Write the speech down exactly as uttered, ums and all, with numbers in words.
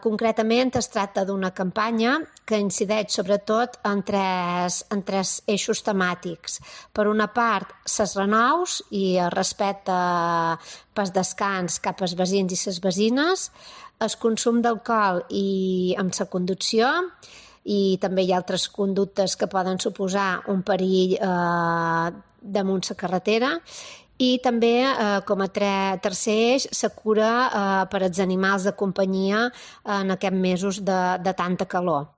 Concretament es tracta d'una campanya que incideix sobretot en tres, en tres eixos temàtics. Per una part, ses renaus i el respecte pel descans cap als veïns i les veïnes, el consum d'alcohol i amb la conducció, i també hi ha altres conductes que poden suposar un perill eh, damunt la carretera, i també, eh, com a tercer eix, la cura eh, per als animals de companyia en aquests mesos de, de tanta calor.